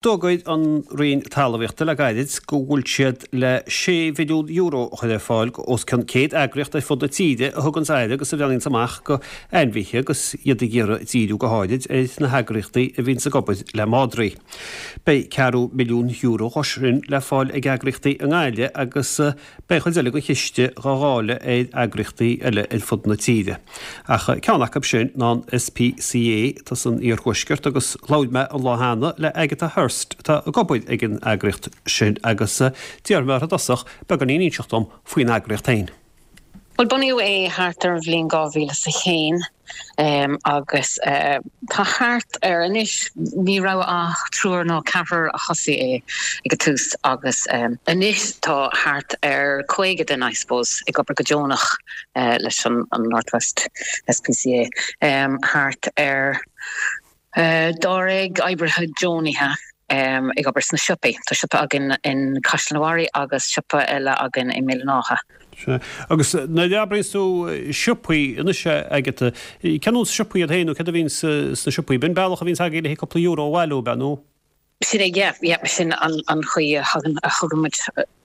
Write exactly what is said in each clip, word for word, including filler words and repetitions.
D'fhógair an Roinn Talmhaíochta le gairid go bhfuil siad le sé mhilliún euro a chur ar fáil go os cionn céad eagraíocht ar fud na tíre a thugann aire agus a bhreathnaíonns amach go ainmhithe agus iad ag iarraidh díriú go háirid ar na heagraíochtaí a bhíonns ag obair le madraí. Beidh ceathrú milliún euro dhó sin le fáil ag eagraíochtaí i nGaillimh agus beidh cuid eile den chiste dhá dháileadh ar eagraíochtaí eile ar fud na tíre. Ach ceann acu sin ná an SPCA atá san iarthuaisceart agus labhair mé an lá cheana le Agatha Hurst atá ag obair ag an eagraíocht sin agus d'iarr mé uirthi i dtosach beagáinín a inseacht dom faoin eagraíocht féin. Well bunaíodh é thart ar an bhliain dhá mhíle is a haon agus tá thart ar anois ní raibh ach triúr nó ceathrar a thosaigh é ag an tús agus anois tá thart ar caoga duine I suppose ag obair go deonach leis an North West SPCA thart ar dáréag oibrithe deonaithe ag obair sna siopaí. Tá siopa againn in Caisleán an Bharraigh agus siopa eile againn i mBéal an Átha. Sea. Agus nuair a abraíonns tú siopaí anois Agatha, cén nós siopaí iad féin nó céard a bhíonn sna siopaí? B'in bealach a bhíonns agaibh le cúpla euro a bhailiú, ab ea nó? Sin é, yeah, yeah, sin an an chaoi a thagann a thugann muid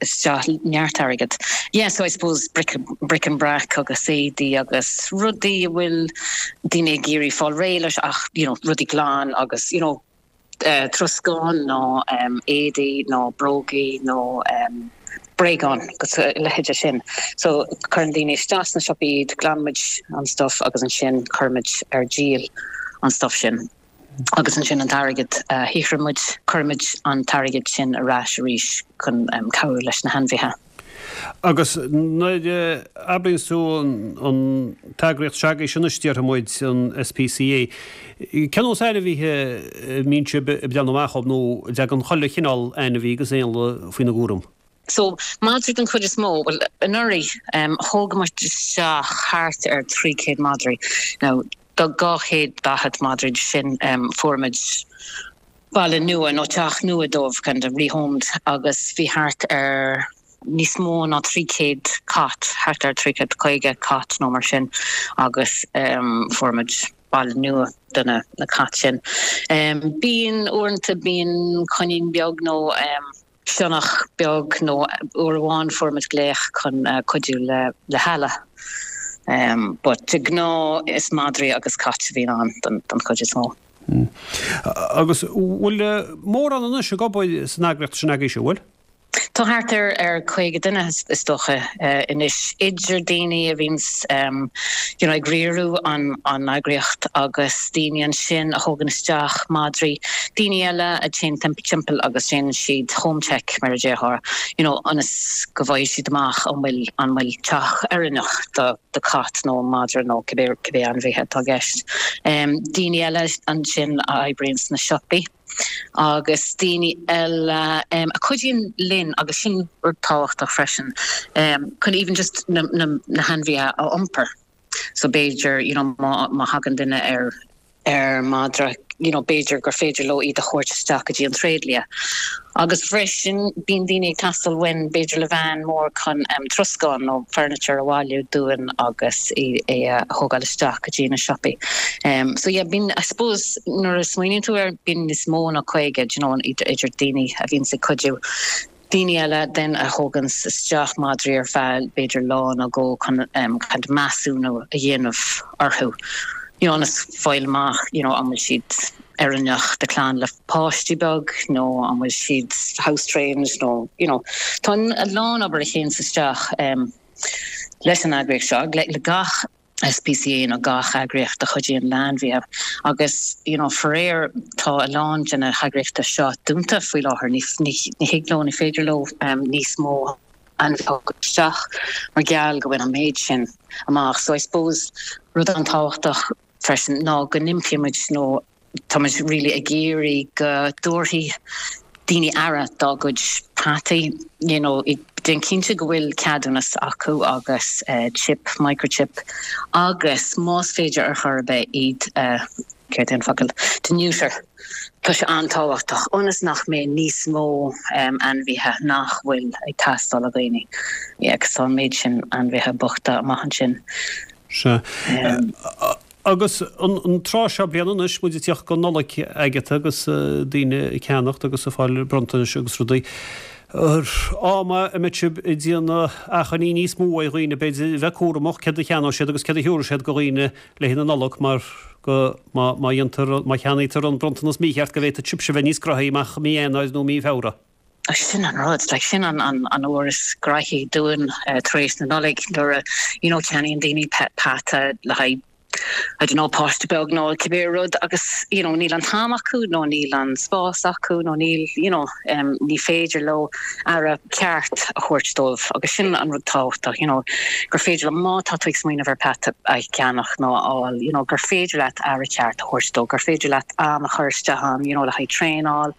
isteach neart airgead. Yeah, so I suppose bric bric and brac agus éadaí agus rudaí a bhfuil daoine ag iarraidh fáil réidh leis ach, you know, rudaí glan agus, you know, troscán nó éadaí nó brógaí nó bréagáin agus a leithéide sin. So cuireann daoine isteach sna siopaí iad, glanann muid an stuff agus ansin cuirimid ar díol an stuff sin. Agus ansin an t-airgead a shaothraíonn muid, cuirimid an t-airgead sin ar ais arís chun cabhrú leis na hainmhithe. Agus nuair a abraíonns tú an t-eagraíocht seo agaibhse anois, déarfaidh muid, an SPCA, cén nós ainmhithe a mbíonn sibh ag breathnú amach dhóibh nó an dtagann chuile chineál ainmhí agus éanlaith faoina gcúram? So, madraí den chuid is mó, bhuel, anuraidh, thóg muid isteach thart ar trí chéad madraí. Now, do dhá chéad daichead madraí sin, fuair muid baile nua nó teach nua dóibh, kind of rehomed, agus bhí thart ar níos mó ná trí chéad cat, thart ar trí chéad caoga cat nó mar sin, agus fuair muid baile nua do na cait sin. Bíonn, uaireanta, bíonn coinín beag nó sionnach beag nó uair amháin fuair muid glaoch chun cuidiú le le heala. But de ghnáth is madraí agus cait a bhíonn ann don don chuid is mó. Agus bhfuil mórán anois ag obair san eagraíocht sin agaibhse, bhfuil? Tá thart ar ar caoga duine is dócha anois, idir daoine a bhíonns you know ag riaradh an an eagraíocht agus daoine ansin a thógann isteach madraí, daoine eile a téann timpeall agus déanann siad home check mar a déarfá, you know ionas go bhfaighidh siad amach an bhfuil an bhfuil teach oiriúnach do do cat nó madra nó cibé cibé ainmhithe atá i gceist. Daoine eile ansin a oibríonn sna siopaí. agus daoine eile a chuidíonn linn agus sin rud tábhachtach freisin chun even just na na hainmhithe a iompar so b'fhéidir you know má má thagann duine ar ar madra you know b'fhéidir gur féidir leo iad a thabhairt isteach go dtí an tréidlia. Agus freisin bíonn daoine ag teastáil uainn b'fhéidir le veain mór chun troscán nó furniture a bhailiú dúinn agus é a thógáil isteach go dtí na siopaí. So yeah bíonn I suppose nuair a smaoiníonn tú air bíonn níos mó ná caoga do you know idir daoine a bhíonns ag cuidiú, daoine eile then a thóganns isteach madraí ar feadh b'fhéidir lá nó dhó chun kind of measúnú a dhéanamh orthu you know ionas fáil amach you know an bhfuil siad oiriúnach do clann le páistí beag nó an bhfuil siad house trained nó you know tá a lán obair a théanns isteach leis an eagraíocht seo le le gach SPCA nó gach eagraíocht a chuidíonn le hainmhithe agus you know faraor tá a lán de na heagraíochtaí seo dúnta faoi láthair ní ní ní thig leo ní féidir leo níos mó ainmhithe a thógáil isteach mar gheall go bhfuil an méid sin amach so I suppose rud an-tábhachtach freisin ná go n-impíonn muid nó tá muid really ag iarraidh go dtabharfaidh daoine aire dá gcuid peataí you know déan cinnte go bhfuil ceadúnas acu agus chip, microchip agus más féidir ar chor ar bith iad a céard é an focal, to neuter. Tá sé an-tábhachtach ionas nach mbeidh níos mó ainmhithe nach bhfuil ag teastáil ó dhaoine. Yeah, agus tá an méid sin ainmhithe bochta amach ansin. Sea. Agus an tráth seo bliana anois, muid ag tíocht go Nollaig Agatha agus daoine ag ceannacht agus ag fáil bronntanais agus rudaí. Am a mbeidh sibh ag déanamh achainí níos mó ar dhaoine, b'fhéidir, a bheith cúramach céard a cheannóidh siad agus céard a thiúrfaidh siad go dhaoine le haghaidh na Nollag mar go má má dhéantar má cheannaítear an bronntanas mícheart go bhféadfadh sibhse a bheith níos graithí amach mí Eanáir nó mí Feabhra. Sin an rud, like sin an an an uair is graithí dúinn tar éis na Nollag nuair a you know ceannaíonn daoine peata le haghaidh I don't know páiste beag nó cibé rud agus you know níl an t-am acu nó níl an spás acu nó níl you know um, ní féidir leo aire ceart a thabhairt dóibh agus sin an rud tábhachtach you know gur féidir le má tá tú ag smaoineamh ar peata a cheannach nó a fháil you know gur féidir leat aire ceart a thabhairt dó gur féidir leat am a chur isteach ann you know le haghaidh traenáil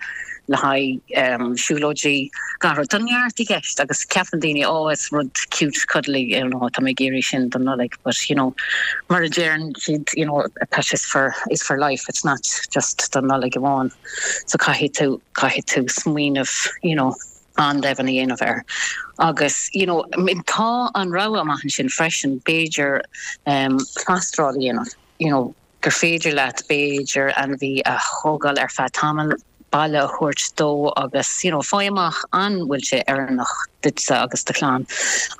le haghaidh siúlóidí gach rud. Tá neart i gceist agus ceapann daoine oh is rud cute cuddly you know tá mé ag iarraidh sin don Nollaig but you know mar a deireann siad you know a pet is for is for life it's not just don Nollaig amháin so caithfidh tú caithfidh tú smaoineamh you know an-domhain a dhéanamh air. Agus you know I mean tá an rogha amach ansin freisin b'fhéidir um plastráil a dhéanamh you know gur féidir leat b'fhéidir ainmhí a thógáil ar feadh tamaill, baile a thabhairt dó agus you know faigh amach an bhfuil sé oiriúnach duitse agus do chlann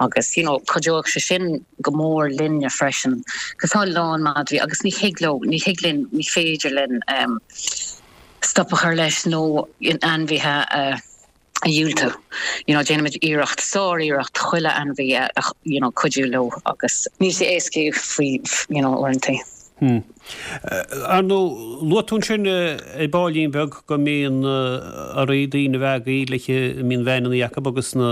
agus you know cuideoidh sé sin go mór linne freisin cos tá a lán madraí agus ní thig leo, ní thig linn, ní féidir linn um stop a chur leis nó ainmhithe a a dhiúltú. You know déanaimid iarracht, sár-iarracht chuile ainmhí a you know cuidiú leo agus níl sé éasca faoi you know uaireanta. Hmm. Ar ndóigh, luaigh tú ansin ar baillín beag go mbíonn oraibh daoine a bheith agaibh le a mbíonn veaineanna acu agus na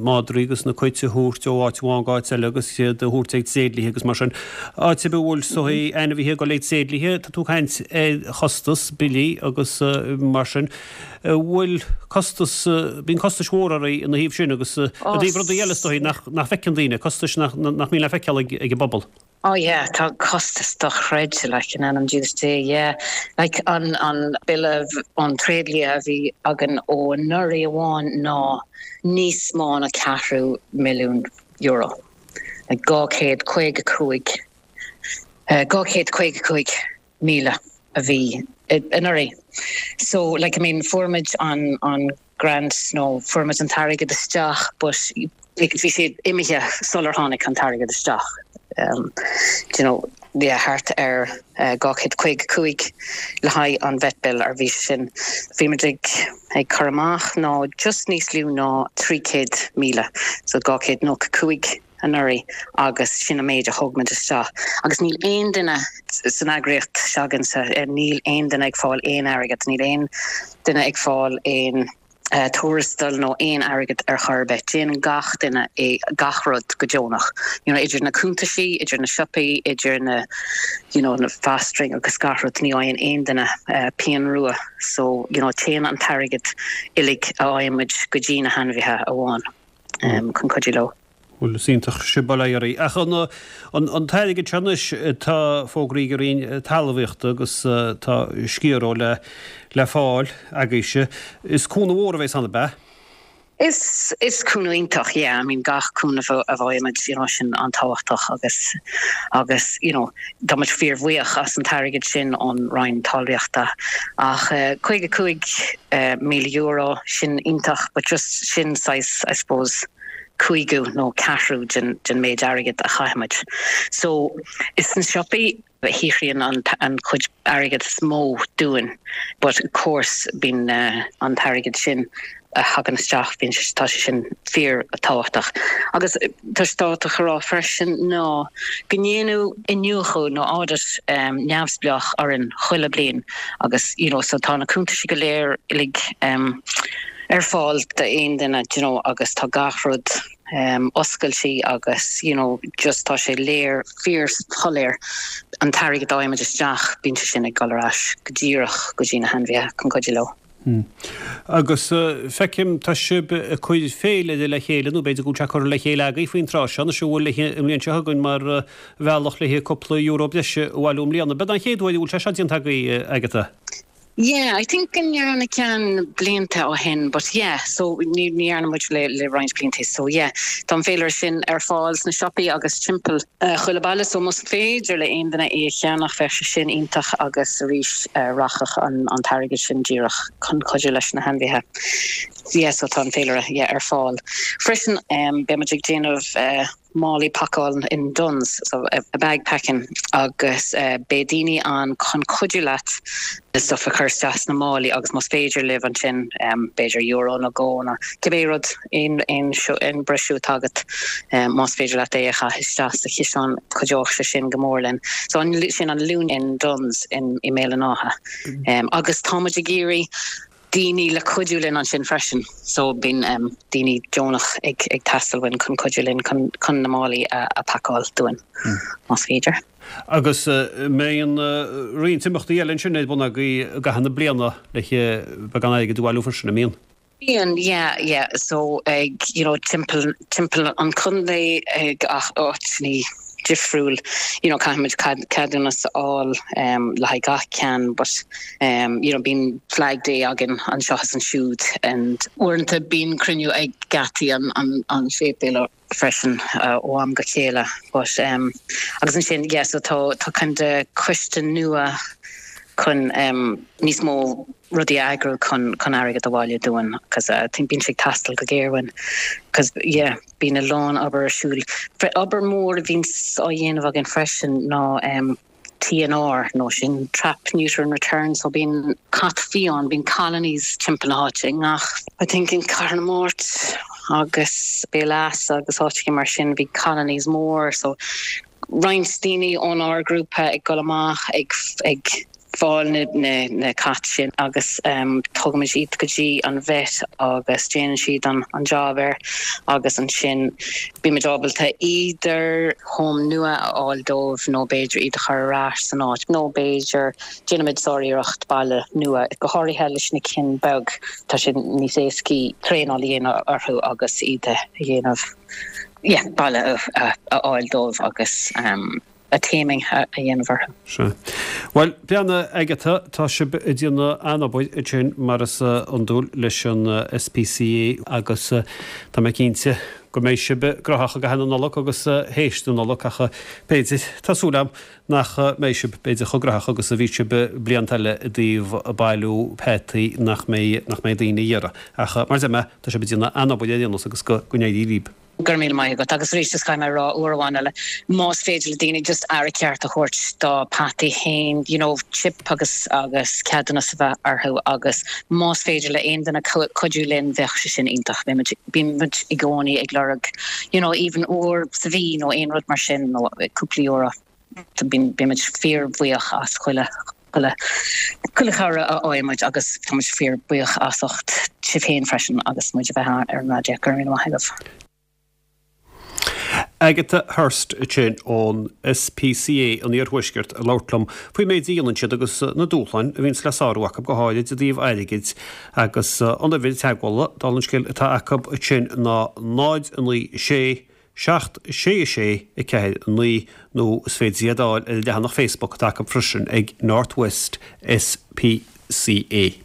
madraí agus na cait a thabhairt ó áit amháin go áit eile agus iad a thabhairt ag tréidliaithe agus mar sin. Áit ar bith a bhfuil so ainmhithe ag dul ag tréidliaithe, tá tú ag caint ar chostas, billí agus mar sin. Bhfuil costas, bíonn costais mhóra oraibh ina thaobh sin agus i dtaobh rudaí eile is dóigh nach bhfeiceann daoine, costais nach mbíonn le feiceáil ag an bpobal. Oh yeah, tá costas dochreidte like in ainm Jesus Dé, yeah. Like an an bille ón tréidlia a bhí againn ó anuraidh amháin ná níos mó ná ceathrú milliún euro. Like dhá chéad caoga cúig, dhá chéad caoga cúig míle a bhí anuraidh. So like I mean fuair muid an an grant nó fuair muid an t-airgead isteach but like bhí sé imithe sular tháinig an t-airgead isteach. Um, do you know, yeah, thart ar uh, dhá chéad caoga cúig le haghaidh an vet bill ar bhí sin. Bhí muid ag ag cur amach ná just níos lú ná trí chéad míle, so dhá chéad nócha cúig anuraidh agus sin an méid a thug muid isteach. Agus níl aon duine san eagraíocht s'againne, níl aon duine ag fáil aon airgead, níl aon duine ag fáil aon tuarastal nó aon airgead ar chor ar bith. Déanann gach duine é gach rud go deonach. You know, idir na cuntaisí, idir na siopaí, idir na you know, na fostering agus gach rud, ní fhaigheann aon duine pian rua. So, you know, téann an t-airgead uilig a fhaigheann muid go dtí na hainmhithe amháin chun cuidiú leo. Bhuel, is iontach sibh bail ó Dhia oraibh. Ach an an t-airgead seo anois atá fógraithe ag an Roinn Talmhaíochta agus tá sciar dhó le le fáil agaibhse, is cúnamh mhór a bheas ann, ab ea? Is is cúnamh iontach, yeah, I mean gach cúnamh a bhfaighimid, you know, sin an-tábhachtach agus agus you know tá muid fíorbhuíoch as an t-airgead sin ón Roinn Talmhaíochta. Ach caoga cúig míle euro, sin iontach but just sin saghas, I suppose, cúigiú nó ceathrú den den méid airgid a chaithimid. So is sna siopaí a shaothraíonn an an chuid airgid is mó dúinn but of course bíonn an t-airgead sin a thagann isteach bíonn sé tá sé sin fíor tábhachtach. Agus tá sé tábhachtach a rá freisin ná go ndéanadh iniúchadh nó audit um, neamhspleách orainn chuile bliain agus you know so tá na cuntaisí go léir uilig um, ar fáil d'aon duine you know agus tá gach rud um, oscailte agus you know just tá sé léir fíorshoiléir an t-airgead a fhaighimid isteach bíonn sé sin ag dul ar ais go díreach go dtí na hainmhithe chun cuidiú leo. Hmm. Agus uh, feicim tá sibh ag cur féile le chéile nó b'fhéidir go bhfuil sé curtha le chéile agaibh faoin tráth seo anois a bhfuil le an bhliain seo chugainn mar uh, bhealach le cúpla euro breise a bhailiú i mbliana. B'é an chéad uair a bhfuil sé seo déanta agaibh Agatha. Yeah, I think go ndearna ceann blianta ó shin, but yeah, so ní ní dhearna muid le le roinnt blianta so yeah, Tá an féilire sin ar fáil sna siopaí agus timpeall uh, chuile baile so más féidir le aon duine é a cheannach bheadh sé sin iontach agus arís uh, rachadh an, an t-airgead sin díreach chun cuidiú leis na hainmhithe. Yeah, so tá an féilire yeah, ar fáil. Freisin um, beimid ag déanamh uh, málaí pacáil in Dunnes so a, a bag packing agus uh, beidh daoine ann chun cuidiú leat na stuff a chur isteach na málaí agus más féidir libh ansin um, b'fhéidir euro nó dhó nó cibé rud aon aon aon breisiú agat um, más féidir leat é a chaitheamh isteach sa chiseán cuideoidh sé sin go mór linn. So an sin an Luan in Dunnes in i mBéal an Átha. Um, agus táimid ag iarraidh daoine le cuidiú linn ansin freisin so bíonn um, daoine deonach ag ag teastáil uainn chun cuidiú linn chun chun na málaí a, a phacáil dúinn mm. más féidir. Agus uh, mbíonn uh, roinnt imeachtaí eile sin ar bun agaibh i gcaitheamh na bliana le beagán airgid a bhailiú freisin an mbíonn. Bíonn yeah yeah so ag you know timpeall timpeall an chontae ag ach áiteanna difriúil you know caithfimid ceadúnas a fháil um, le haghaidh gach ceann but um, you know bíonn flag day againn anseo is ansiúd and uaireanta bíonn cruinniú ag geataí an an an séipéal freisin uh, ó am go chéile but um, agus ansin yeah, so tá tá kind of coiste nua chun um, níos mó rudaí a eagrú chun chun airgead a bhailiú dúinn cos uh, think bíonn sé ag teastáil go géar uainn cos yeah bíonn a lán obair ar siúl. Obair mór a bhíonn á dhéanamh againn freisin ná um, TNR nó sin trap neuter and return so bíonn cat fiáin bíonn colonies timpeall na háite ngach I think in Cathair na Mart agus Béal Easa agus áit mar sin bhí colonies mór so roinnt daoine ón ár grúpa ag dul amach ag ag fáil na, na, na cait sin agus um, tugaimid iad go dtí an vet agus déanann siad an, an job air agus ansin bímid ábalta idir home nua a fháil dóibh nó b'fhéidir iad a chur ar ais san áit nó b'fhéidir déanaimid sáriarracht baile nua go háirithe leis na cinn beag tá sin níos éasca traenáil a dhéanamh orthu agus iad a dhéanamh yeah, baile a, a, a fháil dóibh agus um, a taming a dhéanamh orthu. Se. Well beanna Agatha tá sibh ag déanamh an-obair ansin mar is iondúil leis an SPCA agus tá mé cinnte go mbeidh sibh gnóthach i gcaitheamh na Nollag agus théis na Nollag ach b'fhéidir tá súil agam nach mbeidh sibh b'fhéidir chomh gnóthach agus a bhí sibh blianta eile i dtaobh bailiú peataí nach mbeidh nach mbeidh daoine iarraidh. Ach mar sin tá sibh ag déanamh an-obair ar aon nós agus go n-éirí libh. Gur míle maith agat agus arís just caithfidh mé rá uair amháin eile más féidir le daoine just aire ceart a thabhairt dá bpeataí féin you know, chip agus agus ceadúnas a bheith orthu agus más féidir le aon duine cuidiú linn bheadh sé sin iontach bímid i gcónaí ag lorg you know, even uair sa mhí nó aon rud mar sin nó cúpla euro bímid fíorbhuíoch as chuile chuile chuile chabhair a fhaighimid agus táimid fíorbhuíoch as ucht sibh féin freisin agus muid a bheith ar an raidió gur míle maith agaibh. Agatha Hurst sin ón SPCA an Iarthuaiscirt ag labhairt liom faoin méid a dhéanann siad agus na dúshláin a bhíonn le sárú acu go háirid i dtaobh airgid agus an uimhir teagmhála dála an scéil atá acu sin ná náid naoi sé seacht sé sé a ceathair naoi nó is féidir iad a fháil ar leathanach Facebook atá acu freisin ag North West SPCA.